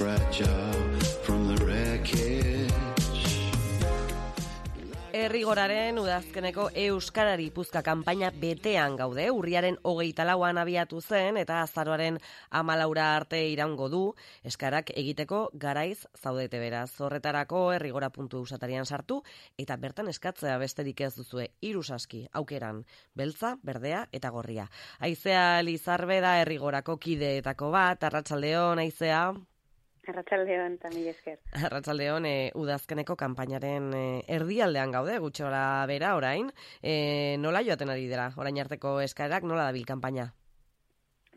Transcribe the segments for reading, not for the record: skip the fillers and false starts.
fragile from the wreckage. Errigoraren udazkeneko Euskarari puzka kanpaina betean gaude, urriaren 24an abiatu zen eta azaroaren 14 arte iraungo du, eskarak egiteko garaiz zaudete beraz. Horretarako errigora.eusatarian sartu eta bertan eskatzea besterik ez duzue 3 saski aukeran, beltza, berdea eta gorria. Aizea Lizarbe da Errigorako kideetako bat, arratsaldeon Aizea. Arratsaldeon, eta mila esker. Arratsaldeon, udazkeneko kanpainaren erdialdean gaude, gutxi gora bera orain. Nola joaten ari dira, orain arteko eskaerak, nola dabil kanpaina?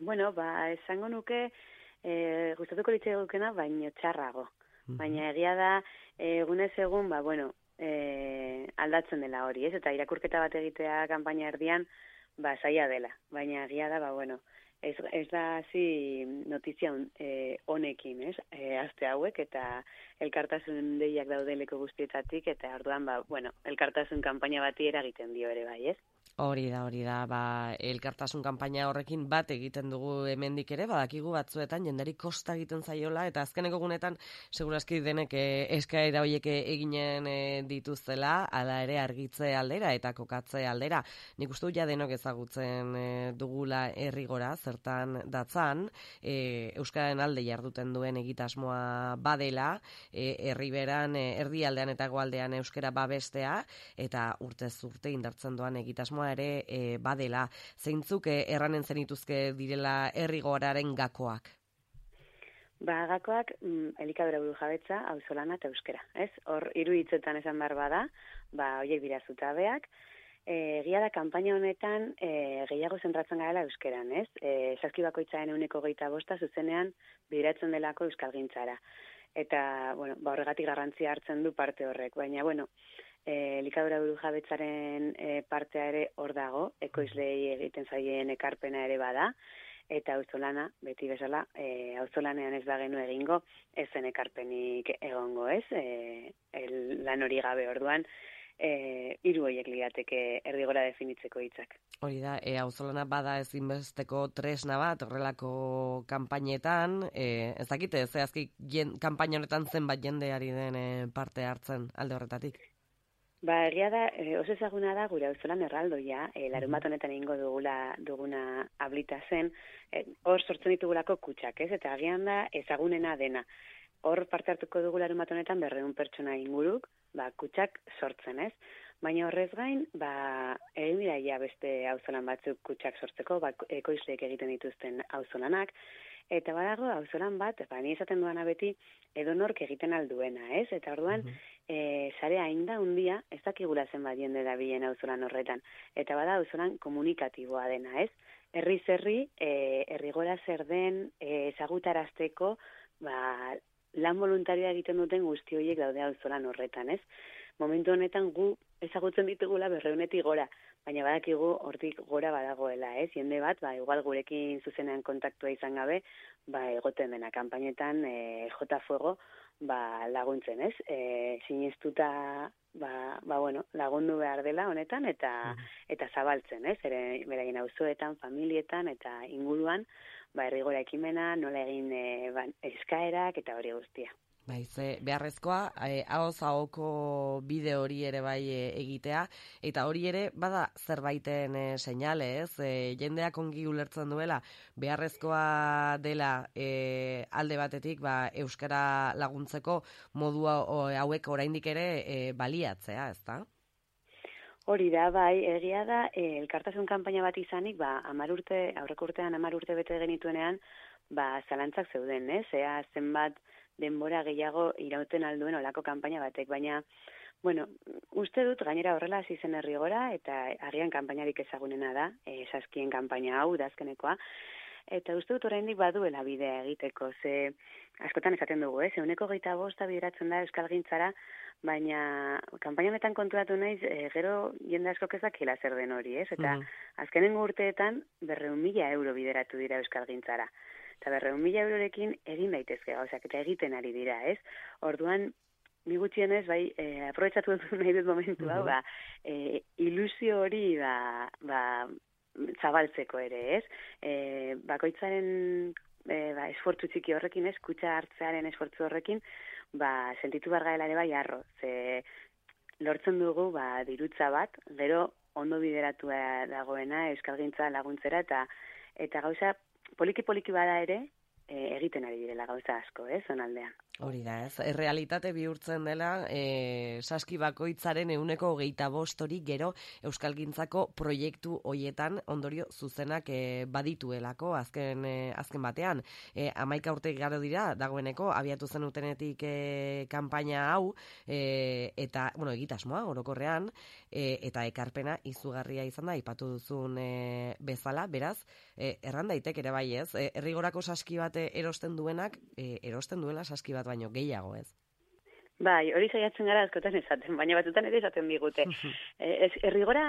Bueno, esango nuke, gustatuko litzaigukena, baino txarrago. Baina egia da, egunez egun, aldatzen dela hori, ez? Eta irakurketa bat egitea kanpaina erdian, zaila dela. Baina egia da, ez da hasi notizia honekin, ez? Aste hauek eta elkartasun deiak daudeleko guztietatik eta orduan elkartasun kanpaina bati eragiten dio ere bai, ez? Hori da, elkartasun kanpaina horrekin bat egiten dugu hemendik ere, badakigu batzuetan jendari kosta egiten zaiola eta azkeneko gunetan segurazki denek eskaera horiek eginen dituztela, hala ere argitze aldera eta kokatze aldera. Nik uste ja denok ezagutzen dugula Errigora, zertan datzan, Euskararen alde jarduten duen egitasmoa badela, herriberan erdialdean eta hegoaldean euskara babestea eta urtez urte indartzen doan egitasmoa ere badela. Zeintzuk erranen zenituzke direla Errigoraren gakoak? Gakoak elikadura burujabetza, auzolana eta euskara, ez? Hor 3 hitzetan esan behar bada, horiek dira zutabeak. Egia da, kanpaina honetan gehiago zentratzen garela euskeran, ez? Saski bakoitzaren 25% zuzenean bideratzen delako euskalgintzara. Eta, horregatik garrantzia hartzen du parte horrek. Baina, elikadura burujabetzaren partea ere hor dago, ekoizleei egiten zaien ekarpena ere bada, eta auzolana, beti bezala, auzolanean ez da genu egingo, ez zen ekarpenik egongo, ez? Lan hori gabe orduan, 3 horiek lirateke Errigora definitzeko hitzak. Hori da, auzolana bada ezinbesteko tresna bat horrelako kanpainetan, ez dakite, zehazki kanpaina honetan zenbat jendeari den parte hartzen alde horretatik? Egia da, oso ezaguna da gure auzolan erraldoia, larun bat honetan egingo duguna ablita zen, hor sortzen ditugulako kutxak, ez? Eta agian da ezagunena dena. Hor parte hartuko dugu larun bat honetan 200 pertsona inguruk, kutxak sortzen, ez? Baina horrez gain, egin dira beste auzolan batzuk kutxak sortzeko, ekoizleek egiten dituzten auzolanak, eta badago auzolan bat, ni esaten duana beti, edonork egiten alduena, ez? Eta orduan, sarea hainda undia, ez dakigula zenbat jende dabilen auzolan horretan. Eta bada auzolan komunikatiboa dena, ez? Herriz herri, Errigora zer den, ezagutarazteko, lan voluntarioa egiten duten guzti horiek daude auzolan horretan, ez? Momentu honetan gu ezagutzen ditugula 200-etik gora, baina badakigu hortik gora badagoela, ez? Jende bat, igual gurekin zuzenean kontaktua izan gabe, egoten dena kanpainetan J Fuego laguntzen, ez? Sinestuta lagundu behar dela honetan eta zabaltzen, ez? Beraien auzoetan, familietan eta inguruan, Errigora ekimena, nola egin eskaerak eta hori guztia. Beharrezkoa, ahoz ahoko bide hori ere bai egitea, eta hori ere bada zerbaiten seinale, ez? Jendeak ongi ulertzen duela, beharrezkoa dela alde batetik euskara laguntzeko modua hauek oraindik ere baliatzea, ezta? Hori da, egia da, elkartasun kanpaina bat izanik, aurreko urtean 10 urte bete genituenean, zalantzak zeuden, ez? Zenbat denbora gehiago irauten alduen olako kanpaina batek, baina, uste dut gainera horrela hasi zen Errigora, eta agian kanpainarik ezagunena da, saskien kanpaina hau, udazkenekoa, eta uste dut oraindik baduela bidea egiteko, ze askotan esaten dugu, 125 bideratzen da euskalgintzara, baina kanpaina honetan konturatu naiz, gero jende askok ez dakiela zer den hori, ez? Eta azkenengo urteetan 200.000 euro bideratu dira euskalgintzara. Eta 200.000 eurorekin egin daitezke gauzak, eta egiten ari dira, ez? Orduan, ni gutxienez, aprobetxatu dut nahi dut momentu hau, ilusio hori zabaltzeko ere, ez? Bakoitzaren esfortzu txiki horrekin, ez, kutxa hartzearen esfortzu horrekin, sentitu bargaela ere bai harro, ze lortzen dugu, dirutza bat, gero ondo bideratua dagoena euskalgintza laguntzera, eta gauza poliki-poliki bada ere, egiten ari direla gauza asko, zonaldean. Hori da, ez? Errealitate bihurtzen dela, saski bakoitzaren 25% hori gero euskalgintzako proiektu hoietan ondorio zuzenak badituelako azken batean. 11 urte igaro dira, dagoeneko, abiatu zenutenetik kanpaina hau, eta, egitasmoa, orokorrean, eta ekarpena izugarria izan da, aipatu duzun bezala, beraz, erran daitek ere bai ez, errigorako saski bat erosten duenak, erosten duela saski bat baino gehiago, ez? Bai, hori saiatzen gara askotan esaten, baina batzutan ere esaten digute. Errigora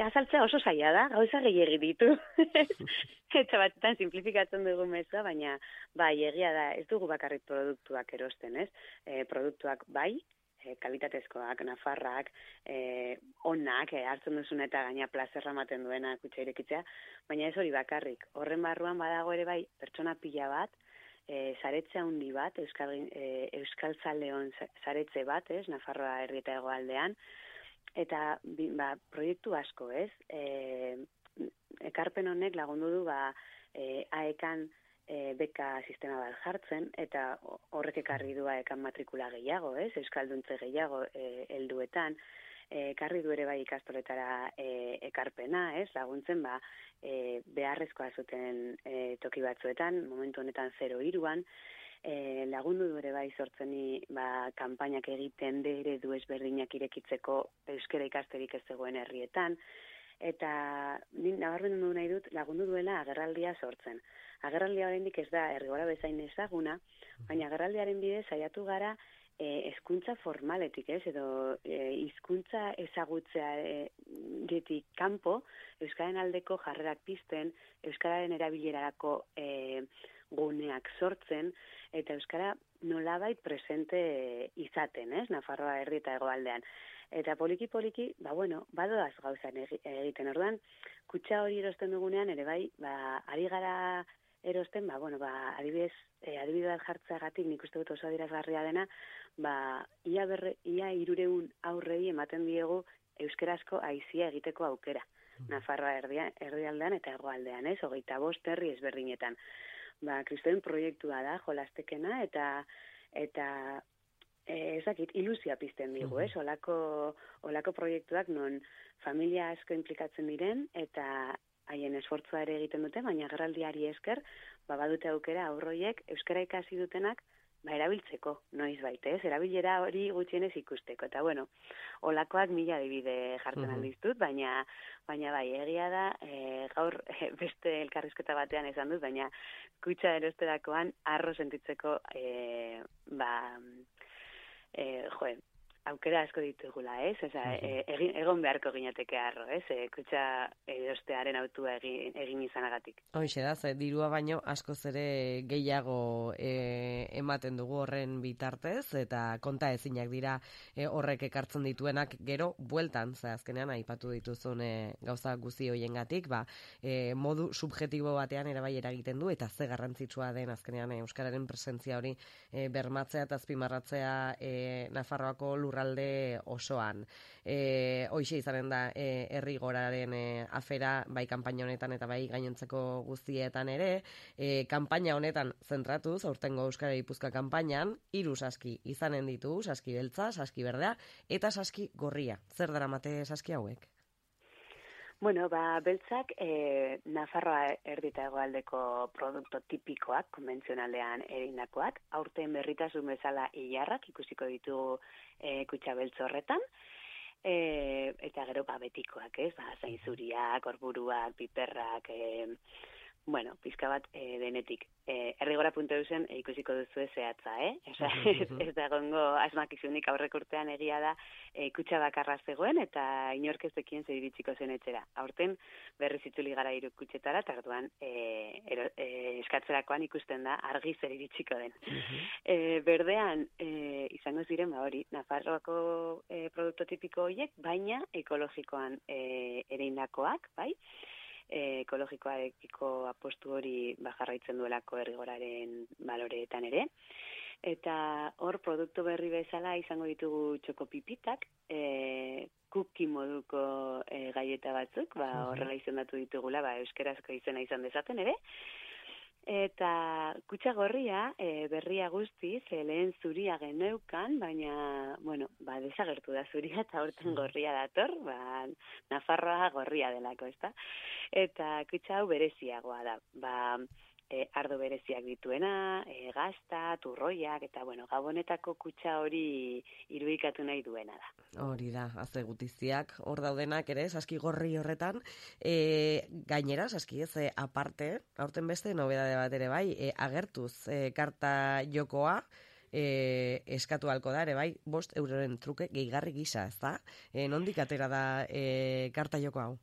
azaltzea oso zaila da, gauza gehiegi ditu. Eta batzutan simplifikatzen dugu meza, baina bai, egia da, ez dugu bakarrik produktuak erosten, ez? Produktuak bai, kalitatezkoak, nafarrak, onak, hartzen duzun eta gaina plazerra ematen duena kutxa irekitzea, baina ez hori bakarrik. Horren barruan badago ere bai, pertsona pila bat, saretze handi bat, Euskaltzaleon saretze bat, Nafarroa herri eta hegoaldean, eta proiektu asko, ekarpen honek lagundu du AEKan beka sistema bat jartzen, eta horrek ekarri du AEKan matrikula gehiago, Euskalduntze gehiago helduetan, ekarri du ere bai ikastoletara ekarpena, laguntzen beharrezkoa zuten toki batzuetan, momentu honetan 0-3an, lagundu du ere bai sortzeni kanpainak egiten eredu ezberdinak irekitzeko euskara ikasterik ez zegoen herrietan, eta nabarmendu nahi dut lagundu duela agerraldia sortzen. Agerraldia oraindik ez da errigora bezain ezaguna, baina agerraldiaren bidez saiatu gara hezkuntza formaletik, edo hizkuntza ezagutzea getik kanpo, euskararen aldeko jarrerak pizten, euskararen erabilerarako guneak sortzen, eta euskara nolabait presente izaten, Nafarroa herri eta hegoaldean. Eta poliki-poliki, badoaz gauzan egiten orduan, kutxa hori erosten dugunean, ere bai, ari gara erosten, adibide bat jartzeagatik nik uste dut oso adierazgarria dena, ia 300 aurrei ematen diegu euskerazko aizia egiteko aukera. Nafarroa erdialdean eta hegoaldean, 25 herri ezberdinetan. Kristoen proiektua da, jolastekena, eta ezakit, ilusia pizten digu, olako proiektuak non familia asko implikatzen diren, eta haien esfortzua ere egiten dute, baina agerraldiari esker, badute aukera aurroiek euskara ikasi dutenak erabiltzeko, noiz baita, erabilera hori gutxienez ikusteko. Eta olakoak 1000 adibide jartzen aldiztut, baina bai, egia da, gaur beste elkarrizketa batean esan dut, baina kutxa erosterakoan arro sentitzeko, aukera asko ditugula, egon beharko ginateke arro, kutxa erostearen autua egin izanagatik. Hoxe da, dirua baino askoz ere gehiago ematen dugu horren bitartez, eta konta ezinak dira horrek ekartzen dituenak gero bueltan, azkenean aipatu dituzun gauza guzti hoiengatik, modu subjektibo batean ere bai eragiten du, eta ze garrantzitsua den azkenean euskararen presentzia hori bermatzea eta azpimarratzea Nafarroako lurralde osoan. Hoxe izanen da errigoraren afera, bai kanpaina honetan eta bai gainontzeko guztietan ere, kanpaina honetan zentratuz, aurtengo Euskara Gipuzkoa kanpainan, 3 saski izanen ditu, saski beltza, saski berdea, eta saski gorria. Zer daramate saski hauek? Beltzak Nafarroa erdi eta hegoaldeko produktu tipikoak, konbentzionalean egindakoak, aurten berritasun bezala ilarrak ikusiko ditugu kutxa beltz horretan, eta gero betikoak, zainzuriak, orburuak, piperrak, pizka bat denetik. Errigora.eusen ikusiko duzu zehatza, ez da gongo asmakizunik aurrek urtean egia da kutxa bakarra zegoen eta inork ez dekien zer iritsiko zen etxera. Aurten berriz itzuli gara 3 kutxetara, eta orduan eskatzerakoan ikusten da argi zer iritsiko den. Berdean izango ziren hori, Nafarroako produktu tipiko horiek, baina ekologikoan ereindakoak, bai? ekologikoarekiko apostu hori jarraitzen duelako Errigoraren baloreetan ere. Eta hor produktu berri bezala izango ditugu txokopipitak, cookie moduko gaieta batzuk, horrela izendatu ditugula, euskerazko izena izan dezaten ere. Eta kutxa gorria, berria guztiz, lehen zuria geneukan, baina, desagertu da zuria eta horten gorria dator, Nafarroa gorria delako, ezta? Eta kutxa hau bereziagoa da, ardo bereziak dituena, gazta, turroiak, eta gabonetako kutxa hori irudikatu nahi duena da. Hori da, azte gutiziak, hor daudenak ere, saski gorri horretan, gainera, saski ez, aparte, aurten beste nobedade bat ere bai, agertuz karta jokoa, eskatu halko da ere bai, 5 euroren truke gehigarri gisa, ez da? Nondik atera da karta joko hau?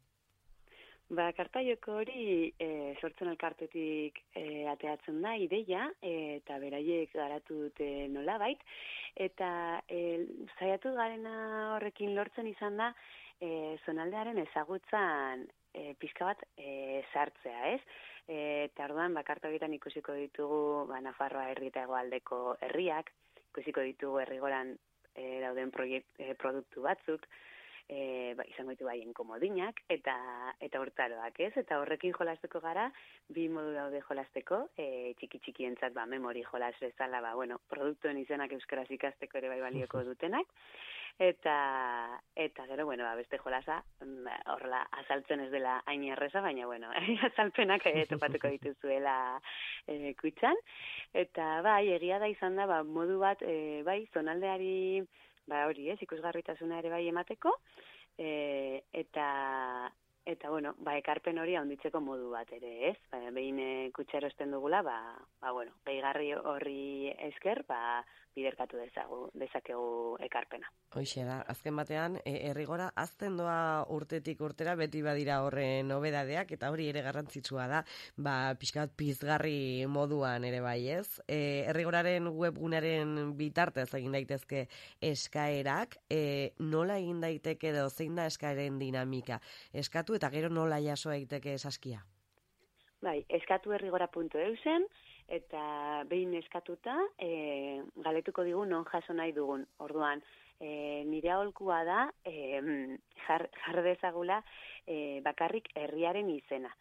Karta joko hori sortzen elkartetik ateatzen da ideia, eta beraiek garatu dute nolabait, eta saiatu garena horrekin lortzen izan da zonaldearen ezagutzan pixka bat sartzea, ez? Eta orduan, karta horietan ikusiko ditugu Nafarroa herri eta hegoaldeko herriak, ikusiko ditugu Errigoran dauden produktu batzuk, izango ditu haien komodinak eta hortaroak, ez? Eta horrekin jolasteko gara, 2 modu daude jolasteko, txiki-txikientzat memori jolas bezala, produktuen izenak euskaraz ikasteko ere bai balioko dutenak, eta gero, beste jolasa, horrela azaltzen ez dela hain erreza, baina, azalpenak topatuko dituzuela kutxan, eta egia da izan da, modu bat, zonaldeari, hori ez, ikusgarritasuna ere bai emateko, ekarpen hori handitzeko modu bat ere, ez? Behin kutxero esten dugula, gehigarri horri esker, biderkatu dezakegu ekarpena. Hoixe da, azken batean, Errigora azten doa urtetik urtera beti badira horren nobedadeak, eta hori ere garrantzitsua da, pixka bat pizgarri moduan ere bai, ez? Errigoraren webgunaren bitartez egin daitezke eskaerak, nola egin daiteke edo zein da eskaeren dinamika? Eskatu eta gero nola jaso daiteke saskia? Eskatu errigora.eusen, eta behin eskatuta, galetuko digu non jaso nahi dugun. Orduan, nire aholkua da, jar dezagula bakarrik herriaren izena.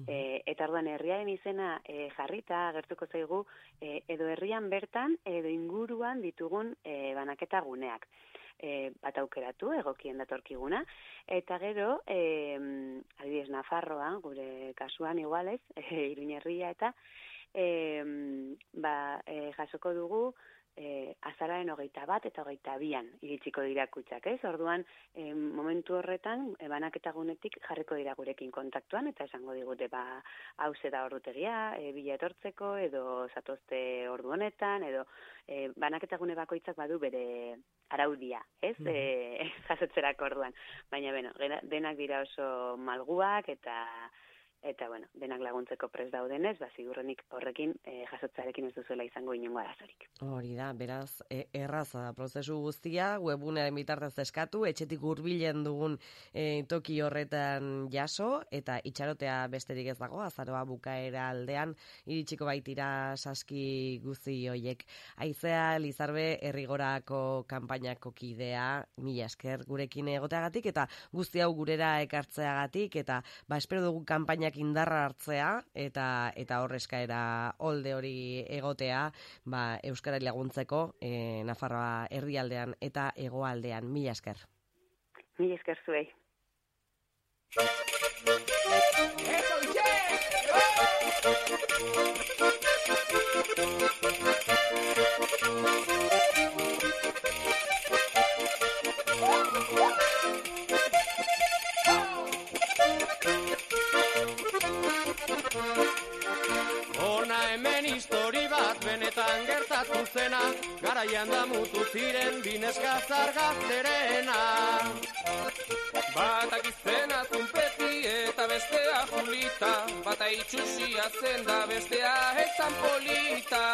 Eta orduan, herriaren izena jarrita agertuko zaigu, edo herrian bertan, edo inguruan ditugun banaketa guneak. Bat aukeratu, egokien datorkiguna, eta gero, adibidez Nafarroa, gure kasuan igualez, Iruñerria eta jasoko dugu azararen 21 eta 22an iritsiko dira kutxak, ez? Orduan, momentu horretan, banaketa gunetik jarriko dira gurekin kontaktuan, eta esango digute, hauze da ordutegia, bila etortzeko, edo zatozte ordu honetan, edo banaketa gune bakoitzak badu bere araudia, ez? Jasotzerako orduan. Baina, denak dira oso malguak, eta denak laguntzeko prest daudenez, ziurrenik horrekin jasotzarekin ez duzuela izango inongo arazorik. Hori da, beraz, erraza da prozesu guztia, webgunearen bitartez eskatu, etxetik hurbilen dugun toki horretan jaso, eta itxarotea besterik ez dago, azaroa bukaera aldean, iritsiko baitira saski guzti hoiek. Aizea Lizarbe Errigorako kanpainako kidea, mila esker gurekin egoteagatik, eta guzti hau gurera ekartzeagatik, eta espero dugu kanpainak indarra hartzea eta hor eskaera olde hori egotea euskarari laguntzeko Nafarroa herrialdean eta hegoaldean. Mila esker. Mila esker zuei. Benetan gertatu zena, garaian damutu ziren bineska zargazterena. Batak izena Tunpeti eta bestea Julita, bata itxusia zen da bestea ezan polita.